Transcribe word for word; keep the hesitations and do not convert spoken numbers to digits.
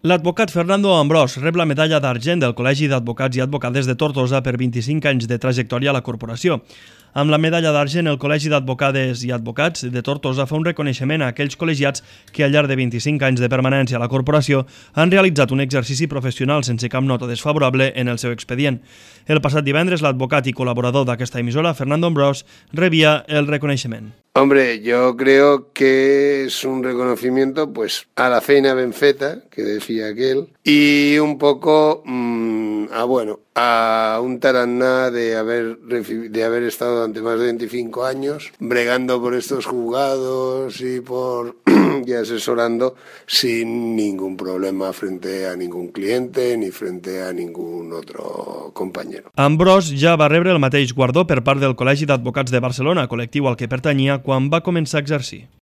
L'advocat Fernando Ambrós rep la medalla d'argent del Col·legi d'Advocats i Advocades de Tortosa per vint-i-cinc anys de trajectòria a la corporació. Amb la medalla d'argent, el Col·legi d'Advocades i Advocats de Tortosa fa un reconeixement a aquells col·legiats que al llarg de vint-i-cinc anys de permanència a la corporació han realitzat un exercici professional sense cap nota desfavorable en el seu expedient. El passat divendres, l'advocat i col·laborador d'aquesta emissora, Fernando Ambrós, rebia el reconeixement. Hombre, yo creo que es un reconocimiento pues a la feina ben feta, que decía aquel, y un poco mmm, a bueno, a un tarannà de haber, de haber estado durante más de veinticinco años bregando por estos juzgados y por y asesorando sin ningún problema frente a ningún cliente ni frente a ningún otro compañero. Ambrós ja va rebre el mateix guardó per part del Col·legi d'Advocats de Barcelona, col·lectiu al que pertanyia quan va començar a exercir.